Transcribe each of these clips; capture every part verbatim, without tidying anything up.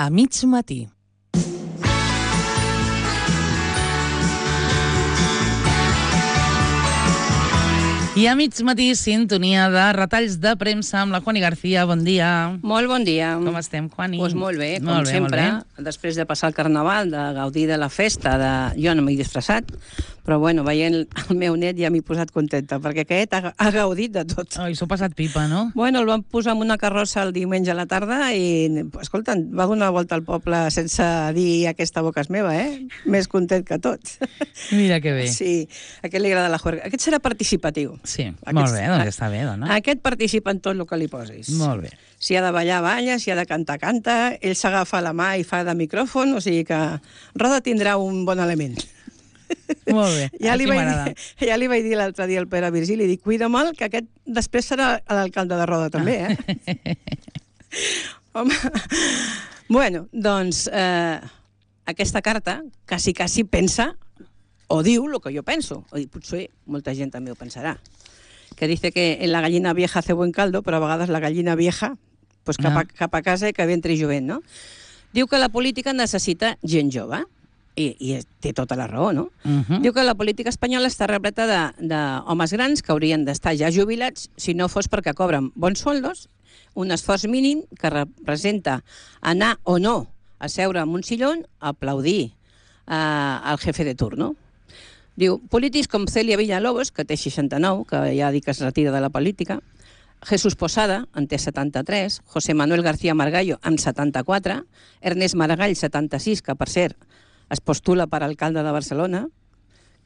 a mig matí. I a mig matí, sintonia de retalls de premsa amb la Juani García. Bon dia. Molt bon dia. Com estem, Juani? Pues molt bé, com molt bé, sempre. Molt bé. Després de passar el Carnaval, de gaudir de la festa, de... jo no m'he disfressat, però bueno, veient el meu net ja m'he posat contenta, perquè aquest ha, ha gaudit de tot. Oh, I s'ho ha passat pipa, no? Bueno, el van posar en una carrossa el diumenge a la tarda i, escolta, va donar la volta al poble sense dir aquesta boca és meva, eh? Més content que tots. Mira que bé. Sí, a aquest li agrada la juerga. Aquest serà participatiu. Sí, Aquest, molt bé, doncs està bé, dona. Aquest participa en tot el que li posis. Molt bé. Si ha de ballar, balla, si ha de cantar, canta, ell s'agafa la mà i fa de micròfon, o sigui que Roda tindrà un bon element. Molt bé, ja així m'agrada. Ja li vaig dir l'altre dia al Pere Virgili, dic, cuida mal, que aquest després serà l'alcalde de Roda també, eh? Home, bueno, doncs eh, aquesta carta quasi, quasi pensa o diu el que jo penso, o potser molta gent també ho pensarà, que dice que en la gallina vieja hace buen caldo, però a vegades la gallina vieja pues cap, a, cap a casa i que entri jovent, no? Diu que la política necessita gent jove, i, i té tota la raó, no? Uh -huh. Diu que la política espanyola està repleta d'homes grans que haurien d'estar ja jubilats si no fos perquè cobren bons sueldos, un esforç mínim que representa anar o no a seure en un sillón a aplaudir eh, al jefe de turno. Diu, polítics com Celia Villalobos, que té seixanta-nou, que ja dic que es retira de la política, Jesús Posada, en té setanta-tres, José Manuel García Margallo, amb setanta-quatre, Ernest Maragall, setanta-sis, que per cert es postula per alcalde de Barcelona,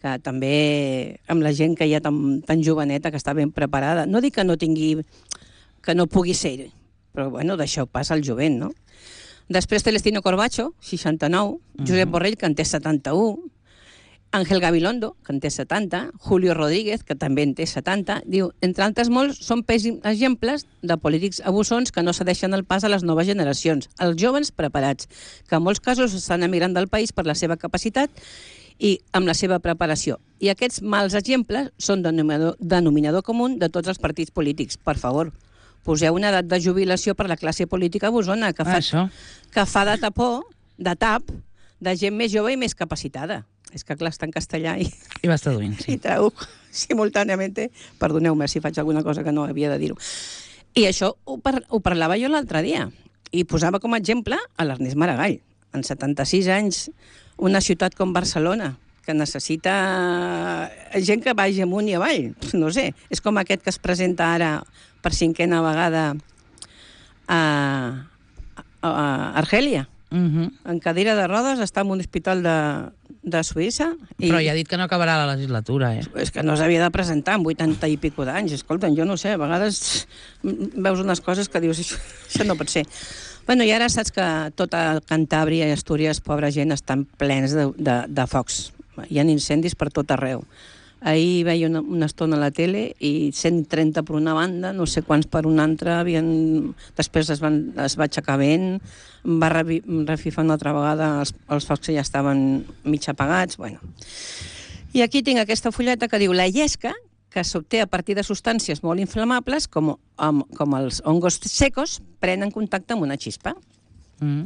que també amb la gent que hi ha tan, tan joveneta, que està ben preparada. No dic que no tingui, que no pugui ser, però bueno, d'això passa al jovent, no? Després Celestino Corbacho, seixanta-nou, Josep Borrell, que en té setanta-u, Ángel Gabilondo, que en té setanta, Julio Rodríguez, que també en té setanta, diu, entre altres molts, són pèssims exemples de polítics abussons que no cedeixen el pas a les noves generacions, als joves preparats, que en molts casos estan emigrant del país per la seva capacitat i amb la seva preparació. I aquests mals exemples són denominador, denominador comú de tots els partits polítics. Per favor, poseu una edat de jubilació per la classe política abussona, que fa, Això. que fa de tapó, de tap, de gent més jove i més capacitada. És que clar, està en castellà i, I vas traduint, sí. i traduc simultàniament. Perdoneu-me si faig alguna cosa que no havia de dir-ho. I això ho, par ho parlava jo l'altre dia i posava com a exemple a l'Ernest Maragall. En setanta-sis anys, una ciutat com Barcelona, que necessita gent que vagi amunt i avall. No sé, és com aquest que es presenta ara per cinquena vegada a, a, a Argèlia. Uh -huh. En cadira de rodes, està en un hospital de, de Suïssa. I... Però ja ha dit que no acabarà la legislatura, eh? És que no s'havia de presentar amb vuitanta i pico d'anys. Escolta, jo no sé, a vegades veus unes coses que dius, això, això no pot ser. Bueno, i ara saps que tota Cantàbria i Astúries, pobra gent, estan plens de, de, de focs. Hi ha incendis per tot arreu. Ahir veia una, una estona a la tele i cent trenta per una banda, no sé quants per una altra, havien... després es, van, es va aixecar vent, va refifar una altra vegada, els, els focs ja estaven mig apagats, bueno. I aquí tinc aquesta fulleta que diu la llesca, que s'obté a partir de substàncies molt inflamables, com, com els hongos secos, prenen contacte amb una xispa. Mm.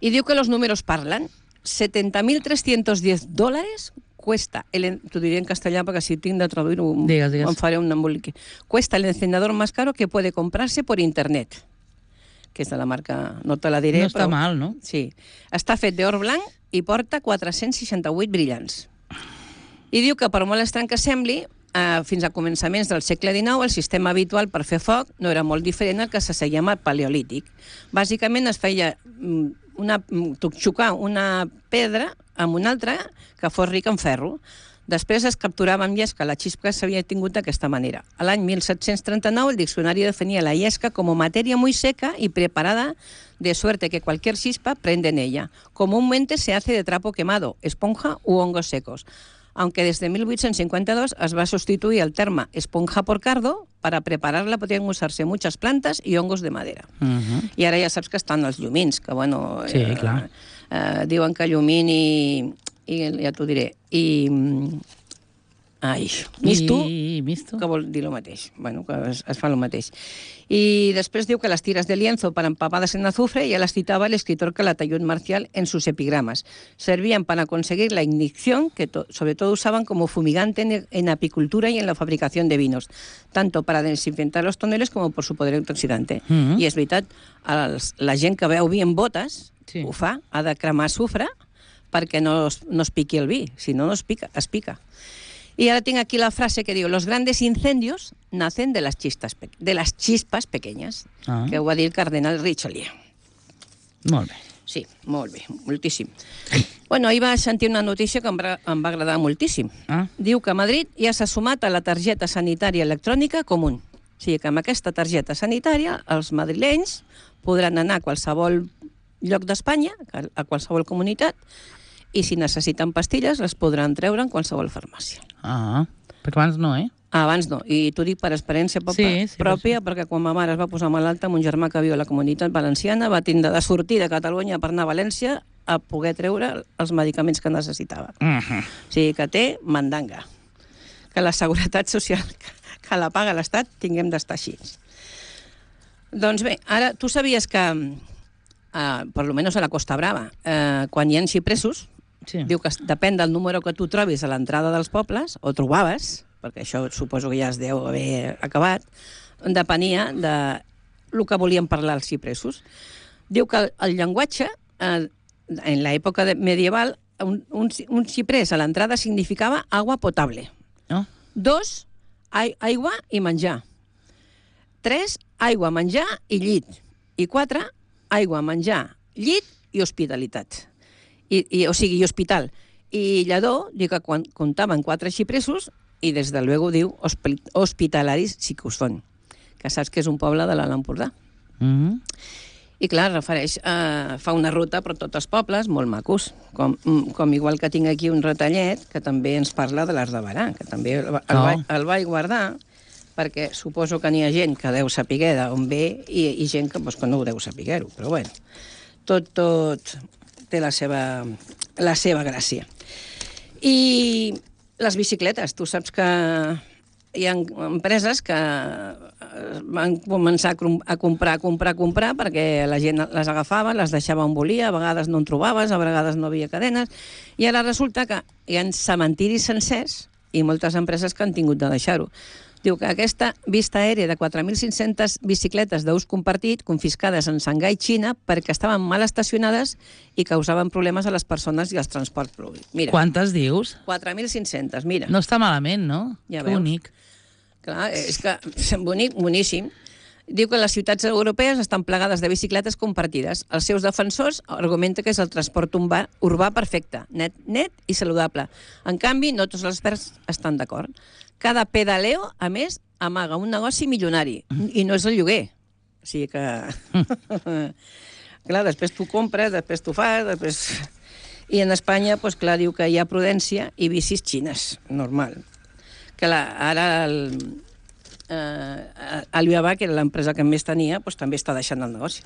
I diu que los números parlen. setenta mil trescientos diez dólares cuesta, el, t'ho diré en castellà perquè si tinc de traduir-ho em faré un embolique. Cuesta el encendedor más caro que puede comprarse por internet, que és de la marca, no te la diré. No està però, mal, no? Sí. Està fet d'or blanc i porta quatre-cents seixanta-vuit brillants. I diu que per molt estrany que sembli, eh, fins a començaments del segle dinou, el sistema habitual per fer foc no era molt diferent al que se seguia amb el paleolític. Bàsicament es feia una, xocar una pedra amb una altra que fos rica en ferro. Després es capturava amb llesca la xispa que s'havia tingut d'aquesta manera. A l'any mil set-cents trenta-nou el diccionari definia la llesca como materia muy seca y preparada de suerte que cualquier chispa prende en ella. Comúnmente se hace de trapo quemado, esponja u hongos secos. Aunque desde mil vuit-cents cinquanta-dos es va sustituir el terme esponja por cardo, para prepararla podien usar-se muchas plantas y hongos de madera. Uh-huh. I ara ja saps que estan els llumins, que bueno... Sí, eh, Ai, misto, I misto. que vol dir el mateix. Bueno, que es, es fa el mateix. Y después digo que las tiras de lienzo para empapadas en azufre ya las citaba el escritor Calatayud Marcial en sus epigramas. Servían para conseguir la ignición, que to sobre todo usaban como fumigante en, en apicultura y en la fabricación de vinos, tanto para desinfectar los toneles como por su poder antioxidante. Mm -hmm. I és veritat, els, la gent que veu vi en botes, sí. ho fa, ha de cremar sufre perquè no es, no es piqui el vi, si no, no es pica, es pica. Y ahora tengo aquí la frase que digo, los grandes incendios nacen de las chispas, de las chispas pequeñas, ah. que ho va dir el cardenal Richelieu. Molt bé. Sí, molt bé, moltíssim. Bueno, ahir vaig sentir una notícia que em va, em va agradar moltíssim. Ah. Diu que a Madrid ja s'ha sumat a la targeta sanitària electrònica comú. O sigui que amb aquesta targeta sanitària els madrilenys podran anar a qualsevol lloc d'Espanya, a qualsevol comunitat, i si necessiten pastilles les podran treure en qualsevol farmàcia. Ah, perquè abans no, eh? Abans no, i t'ho dic per experiència sí, sí, pròpia, perquè quan ma mare es va posar malalta, mon germà que viu a la Comunitat Valenciana va tindre de sortir de Catalunya per anar a València a poder treure els medicaments que necessitava. Uh -huh. O sigui que té mandanga. Que la seguretat social que la paga l'Estat tinguem d'estar així. Doncs bé, ara, tu sabies que, eh, per almenys a la Costa Brava, eh, quan hi ha xipresos, sí. diu que depèn del número que tu trobis a l'entrada dels pobles, o trobaves, perquè això suposo que ja es deu haver acabat, depenia de el que volien parlar els xipresos. Diu que el, el llenguatge, eh, en l'època medieval, un, un, un xiprès a l'entrada significava agua potable. Oh. Dos, ai, aigua i menjar. Tres, aigua, menjar i llit. I quatre, aigua, menjar, llit i hospitalitat. I, i, o sigui, i hospital. I Lledó diu que quan comptaven quatre xipresos, i des de luego diu hospitalaris sí que ho són, que saps que és un poble de l'Alt Empordà. Mm -hmm. I clar, refereix, eh, fa una ruta per tots els pobles, molt macos, com, com igual que tinc aquí un retallet que també ens parla de l'Arc de Berà, que també el, el, oh. va, el vaig guardar, perquè suposo que n'hi ha gent que deu saber d'on ve i, i gent que, pues, que no ho deu saber-ho, però bueno, tot, tot té la seva, la seva gràcia. I les bicicletes, tu saps que hi ha empreses que van començar a comprar, a comprar, a comprar, perquè la gent les agafava, les deixava on volia, a vegades no en trobaves, a vegades no havia cadenes, i ara resulta que hi ha cementiris sencers i moltes empreses que han tingut de deixar-ho. Diu que aquesta vista aèria de quatre mil cinc-centes bicicletes d'ús compartit confiscades en Shanghai, Xina, perquè estaven mal estacionades i causaven problemes a les persones i als transports públics. Mira, quantes dius? quatre mil cinc-centes, mira. No està malament, no? Ja que veus. Bonic. Clar, és que bonic, boníssim. Diu que les ciutats europees estan plegades de bicicletes compartides. Els seus defensors argumenten que és el transport urbà, urbà perfecte, net, net i saludable. En canvi, no tots els experts estan d'acord. Cada pedaleo, a més, amaga un negoci milionari, i no és el lloguer. O sigui que... clar, després tu compres, després tu fas, després... I en Espanya, doncs clar, diu que hi ha prudència i bicis xines, normal. Que la, ara el, eh, Alibaba, que era l'empresa que més tenia, doncs també està deixant el negoci.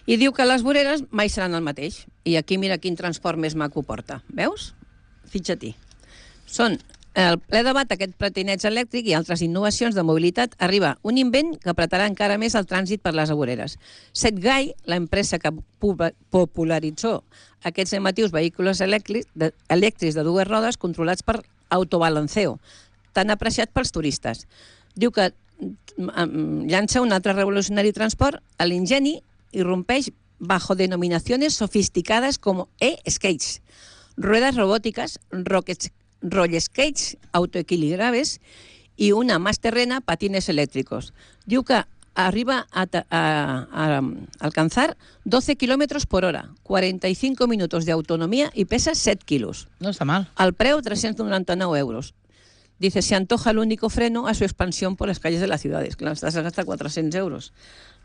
I diu que les voreres mai seran el mateix. I aquí mira quin transport més maco porta. Veus? Fitxa-t'hi. Són el ple debat, aquest patineig elèctric i altres innovacions de mobilitat, arriba un invent que apretarà encara més el trànsit per les voreres. Setgai, l'empresa que popularitzó aquests llamatius vehicles elèctrics de, elèctrics de dues rodes controlats per autobalanceo, tan apreciat pels turistes. Diu que llança un altre revolucionari transport a l'ingeni i rompeix bajo denominaciones sofisticadas como e-skates, ruedas robóticas, rockets, rollskates autoequilibrables i una más terrena, patines elèctricos. Diu que arriba a, a, a, a alcanzar doce kilómetros por hora, cuarenta y cinco minutos de autonomía y pesa set kilos. No está mal. Al preu, trescientos noranta-nou euros. Dice, se antoja el único freno a su expansión por las calles de las ciudades. Clar, estàs a gastar quatre-cents euros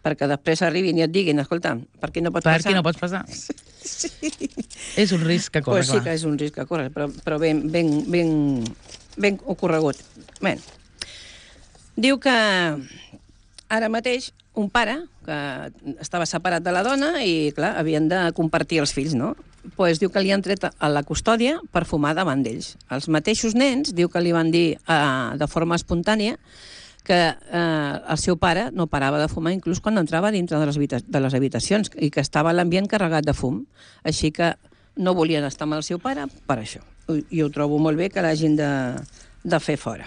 perquè després arribin i et diguin, escolta, per què no pots per passar? Per què no pots passar? Sí. És un risc que corre, pues sí clar. Que és un risc que corre, però, però ben, ben, ben, ben ocorregut. Bé, diu que ara mateix un pare que estava separat de la dona i, clar, havien de compartir els fills, no? pues, diu que li han tret a la custòdia per fumar davant d'ells. Els mateixos nens, diu que li van dir eh, de forma espontània que eh, el seu pare no parava de fumar inclús quan entrava dintre de les, habita- de les habitacions i que estava l'ambient carregat de fum. Així que no volien estar amb el seu pare per això. I ho trobo molt bé que l'hagin de, de fer fora.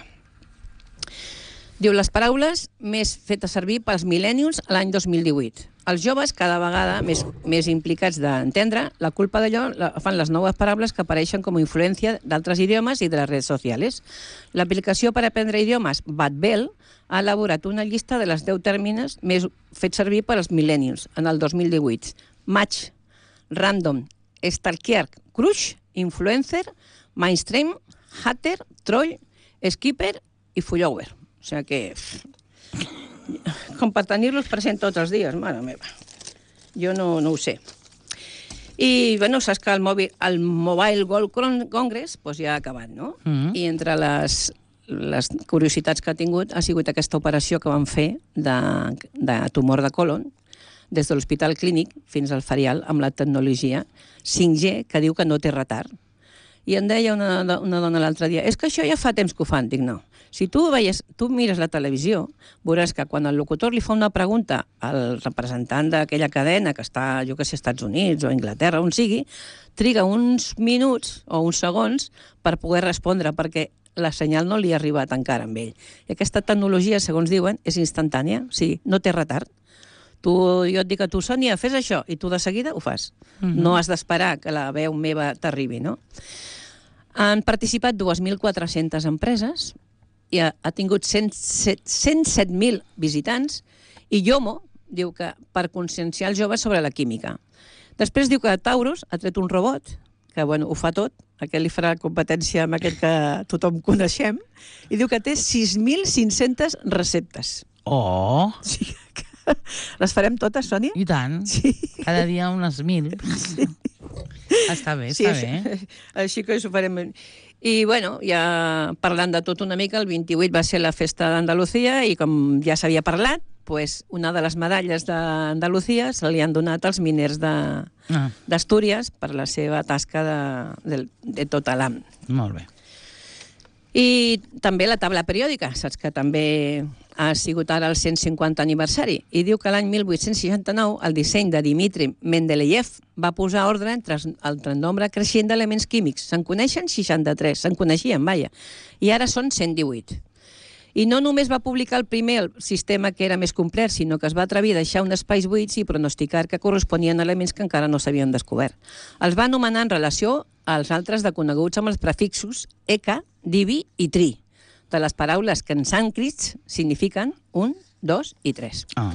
Diu, les paraules més fetes servir pels mil·lènials l'any dos mil divuit. Els joves, cada vegada més, més implicats d'entendre, la culpa d'allò la fan les noves paraules que apareixen com a influència d'altres idiomes i de les redes socials. L'aplicació per aprendre idiomes Badbel ha elaborat una llista de les deu tèrmines més fets servir per als mil·lènials en el dos mil divuit. Match, random, stalker, crush, influencer, mainstream, hater, troll, skipper i follower. O sigui que... com per tenir-los present tots els dies, mare meva. Jo no, no ho sé. I, bueno, saps que el, mòbil, el Mobile World Congress pues, ja ha acabat, no? Mm-hmm. I entre les, les curiositats que ha tingut ha sigut aquesta operació que van fer de, de tumor de colon des de l'Hospital Clínic fins al Farial amb la tecnologia cinc G que diu que no té retard. I em deia una, una dona l'altre dia, és que això ja fa temps que ho fan. Dic, no. Si tu, veies, tu mires la televisió, veuràs que quan el locutor li fa una pregunta al representant d'aquella cadena que està, jo que sé, als Estats Units o a Anglaterra, on sigui, triga uns minuts o uns segons per poder respondre, perquè la senyal no li ha arribat encara amb ell. I aquesta tecnologia, segons diuen, és instantània, o sigui, no té retard. Tu, jo et dic a tu, Sònia, fes això, i tu de seguida ho fas. Mm-hmm. No has d'esperar que la veu meva t'arribi, no? Han participat dues mil quatre-centes empreses, i ha, ha tingut cent set mil visitants, i Yomo diu que per conscienciar els joves sobre la química. Després diu que Taurus ha tret un robot, que bueno, ho fa tot, aquest li farà competència amb aquest que tothom coneixem, i diu que té sis mil cinc-centes receptes. Oh! Sí, les farem totes, Sònia? I tant. Sí. Cada dia unes mil. Sí. Està bé, sí, està bé. Així, així que ho farem. I, bueno, ja parlant de tot una mica, el vint-i-vuit va ser la festa d'Andalusia i, com ja s'havia parlat, pues, una de les medalles d'Andalusia se li han donat als miners d'Astúries ah. per la seva tasca de, de, de tot l'any. Molt bé. I també la taula periòdica, saps que també ha sigut ara el cent cinquanta aniversari, i diu que l'any mil vuit-cents seixanta-nou el disseny de Dmitri Mendeleev va posar ordre entre el nombre creixent d'elements químics. Se'n coneixen seixanta-tres, se'n coneixien, vaja, i ara són cent divuit. I no només va publicar el primer el sistema que era més complet, sinó que es va atrevir a deixar uns espais buits i pronosticar que corresponien a elements que encara no s'havien descobert. Els va anomenar en relació als altres de coneguts amb els prefixos Eka, Divi i Tri, de les paraules que en sànscrit signifiquen un, dos i tres. Ah.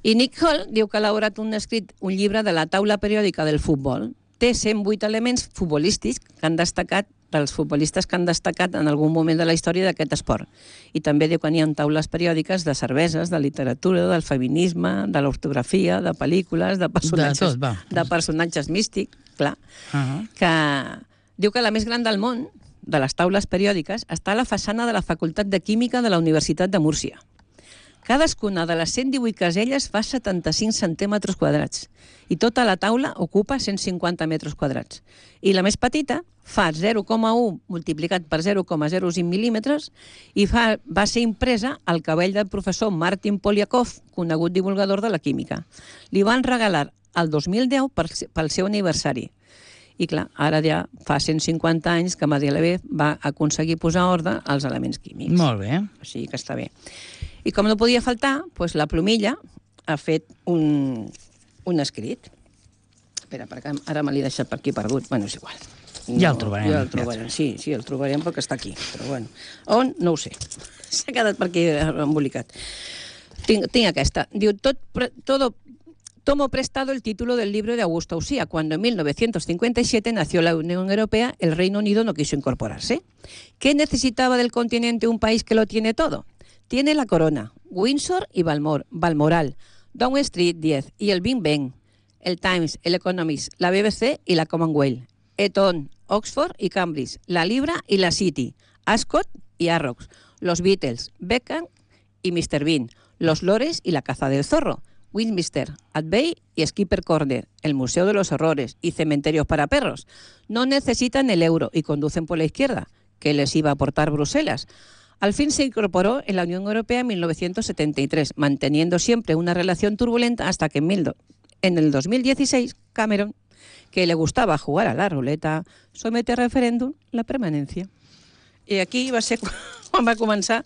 I Nick Hall diu que ha elaborat un escrit, un llibre de la taula periòdica del futbol. Té cent vuit elements futbolístics que han destacat dels futbolistes que han destacat en algun moment de la història d'aquest esport. I també diu que n'hi ha taules periòdiques de cerveses, de literatura, del feminisme, de l'ortografia, de pel·lícules, de personatges, de, tot, de personatges místics, clar, uh -huh. que diu que la més gran del món, de les taules periòdiques, està a la façana de la Facultat de Química de la Universitat de Múrcia. Cadascuna de les cent divuit caselles fa setanta-cinc centímetres quadrats i tota la taula ocupa cent cinquanta metres quadrats. I la més petita fa zero coma u multiplicat per zero coma zero cinc mil·límetres i fa, va ser impresa al cabell del professor Martin Polyakov, conegut divulgador de la química. Li van regalar el dos mil deu per, pel seu aniversari. I clar, ara ja fa cent cinquanta anys que Mendeleev va aconseguir posar ordre als elements químics. Molt bé. O sigui que està bé. I com no podia faltar, doncs la plomilla ha fet un, un escrit. Espera, perquè ara me l'he deixat per aquí perdut. Bueno, és igual. No, ja el trobarem. Ja el trobarem, sí, sí, el trobarem perquè està aquí. Però bueno, on? No ho sé. S'ha quedat per aquí embolicat. Tinc, tinc aquesta. Diu, tot, todo... Tomo prestado el título del libro de Augusto Usía. Cuando en mil novecientos cincuenta y siete nació la Unión Europea, el Reino Unido no quiso incorporarse. ¿Qué necesitaba del continente un país que lo tiene todo? Tiene la Corona, Windsor y Balmor, Balmoral, Downing Street diez y el Big Ben, el Times, el Economist, la B B C y la Commonwealth, Eton, Oxford y Cambridge, la Libra y la City, Ascot y Arrox, los Beatles, Beckham y mister Bean, los Lores y la Caza del Zorro, Westminster Abbey y Skipper Corner, el Museo de los Horrores y cementerios para perros. No necesitan el euro y conducen por la izquierda, que les iba a aportar Bruselas. Al fin se incorporó en la Unión Europea en mil novecientos setenta y tres, manteniendo siempre una relación turbulenta hasta que en, mil do... en el dos mil dieciséis Cameron, que le gustaba jugar a la ruleta, somete a referèndum la permanència. I aquí va ser quan va començar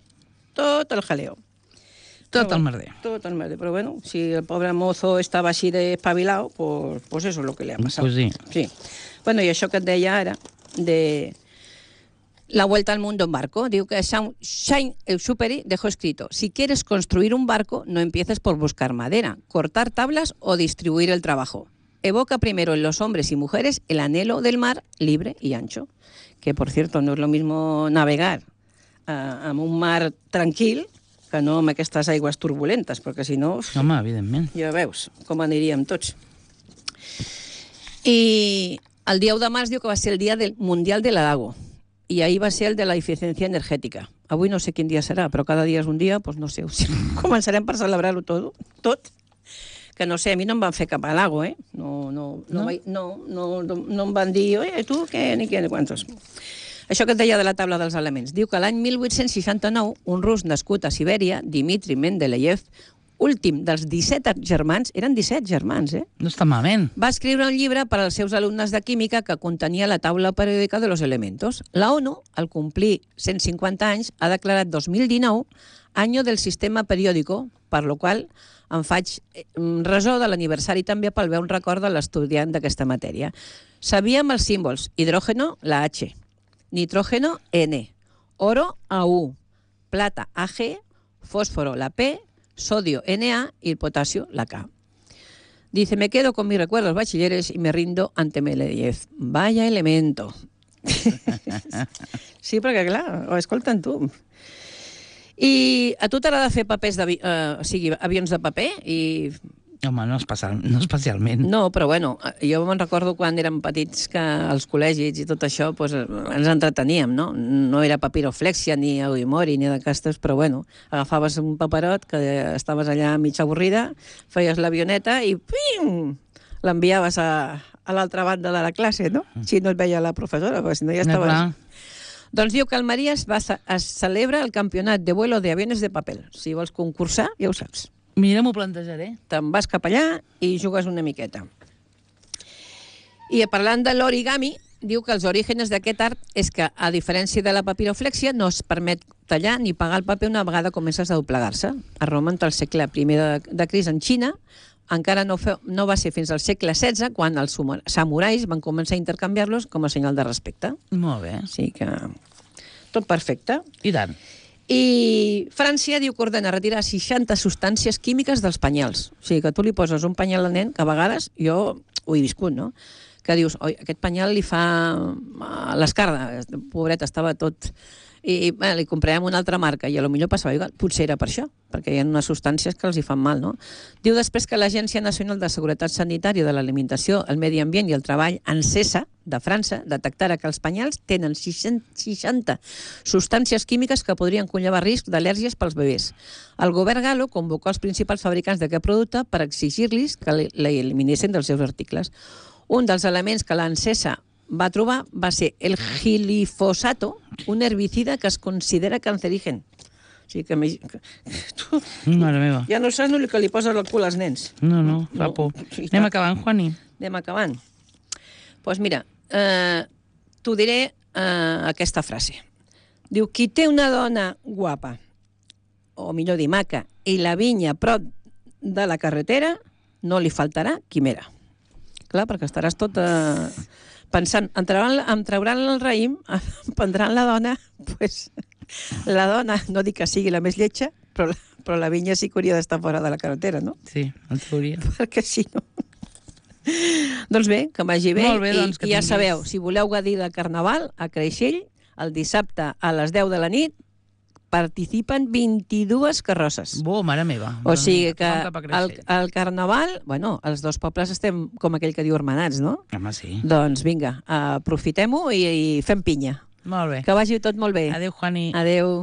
tot el jaleo. Tot el merder. Tot el merder. Però bueno, si el pobre mozo estava així d'espavilado, pues, pues eso es lo que le ha pasado. Pues sí. Sí. Bueno, i això que et deia ara, de la vuelta al mundo en barco, diu que Saint-Exupéry dejó escrito: si quieres construir un barco, no empieces por buscar madera, cortar tablas o distribuir el trabajo. Evoca primero en los hombres y mujeres el anhelo del mar libre y ancho. Que, por cierto, no és lo mismo navegar uh, en un mar tranquil que no amb aquestes aigües turbulentes, perquè si no... Home, evidentment. Ja veus com aniríem tots. I el dia u de març diu que va ser el dia del Mundial de l'Alago, i ahir va ser el de la eficiència energètica. Avui no sé quin dia serà, però cada dia és un dia, doncs no sé, començarem per celebrar-ho tot, tot. Que no sé, a mi no em van fer cap halago, eh? No, no, no, no? no, no, no, no em van dir, oi, tu què, ni què, ni quantos. Això que et deia de la taula dels elements. Diu que l'any mil vuit-cents seixanta-nou, un rus nascut a Sibèria, Dmitri Mendeleev, últim dels disset germans, eren disset germans, eh? No està malament. Va escriure un llibre per als seus alumnes de química que contenia la taula periòdica de los elementos. La ONU, al complir cent cinquanta anys, ha declarat dos mil dinou any del sistema periòdico, per lo qual em faig ressò de l'aniversari també pel veure un record de l'estudiant d'aquesta matèria. Sabíem els símbols: hidrógeno, la H, nitrógeno, N, oro, A U, plata, A G, fósforo, la P, sodio, N A y el potasio, la K. Dice, me quedo con mis recuerdos bachilleres y me rindo ante Mendeleev. Vaya elemento. Sí, perquè clar, ho escolten tu. I a tu t'agrada fer papers d'avions, eh, o sigui, avions de paper? I... Home, no, especial, no especialment. No, però bueno, jo me'n recordo quan érem petits que als col·legis i tot això pues, ens entreteníem, no? No era papiroflexia ni audimori ni d'aquestes, però bueno, agafaves un paperot que estaves allà mig avorrida, feies l'avioneta i pim! L'enviaves a, a l'altra banda de la classe, no? Si no et veia la professora, perquè si no ja estaves... No, doncs diu que al Maria es, va, es celebra el campionat de vuelo de aviones de paper. Si vols concursar, ja ho saps. Mira, m'ho plantejaré. Te'n vas cap allà i jugues una miqueta. I parlant de l'origami, diu que els orígens d'aquest art és que, a diferència de la papiroflexia, no es permet tallar ni pagar el paper una vegada comences a doblegar-se. A Roma, entre el segle primer de, de Cris en Xina, encara no, fe, no va ser fins al segle setze quan els samurais van començar a intercanviar-los com a senyal de respecte. Molt bé. Sí que tot perfecte. I tant. I França diu que ordena retirar seixanta substàncies químiques dels penyals. O sigui, que tu li poses un penyal al nen, que a vegades jo ho he viscut, no? Que dius, oi, aquest penyal li fa l'escarda, pobret, estava tot... I bé, li comprarem una altra marca i potser passava igual. Potser era per això, perquè hi ha unes substàncies que els hi fan mal, no? Diu després que l'Agència Nacional de Seguretat Sanitària de l'Alimentació, el Medi Ambient i el Treball, ANSESA, de França, detectarà que els penyals tenen seixanta substàncies químiques que podrien conllevar risc d'al·lèrgies pels bebès. El govern galo convocó els principals fabricants d'aquest producte per exigir-los que l'eliminessin dels seus articles. Un dels elements que l'ANSESA va trobar va ser el glifosato, un herbicida que es considera cancerigen. O sigui que... que tu, Mare meva. Ja no saps el que li poses al cul als nens. No, no, fa por. No, sí, Anem acabant, Juani. Anem acabant. Doncs pues mira, eh, t'ho diré eh, aquesta frase. Diu, qui té una dona guapa, o millor dir maca, i la vinya a prop de la carretera, no li faltarà quimera. Clar, perquè estaràs tot... Eh, pensant, em trauran, em trauran el raïm, em prendran la dona, pues, la dona, no dic que sigui la més lletja, però, però la vinya sí que hauria d'estar fora de la carretera, no? Sí, en teoria. Perquè si no... Doncs bé, que vagi bé, bé doncs, i, i ja tinguis... sabeu, si voleu gaudir de Carnaval, a Creixell, el dissabte a les deu de la nit, participen vint-i-dues carrosses. Bo, mare meva. O sigui que el, el Carnaval, bueno, els dos pobles estem com aquell que diu hermanats, no? Home, sí. Doncs vinga, aprofitem-ho i, i fem pinya. Molt bé. Que vagi tot molt bé. Adéu, Juani. Adéu.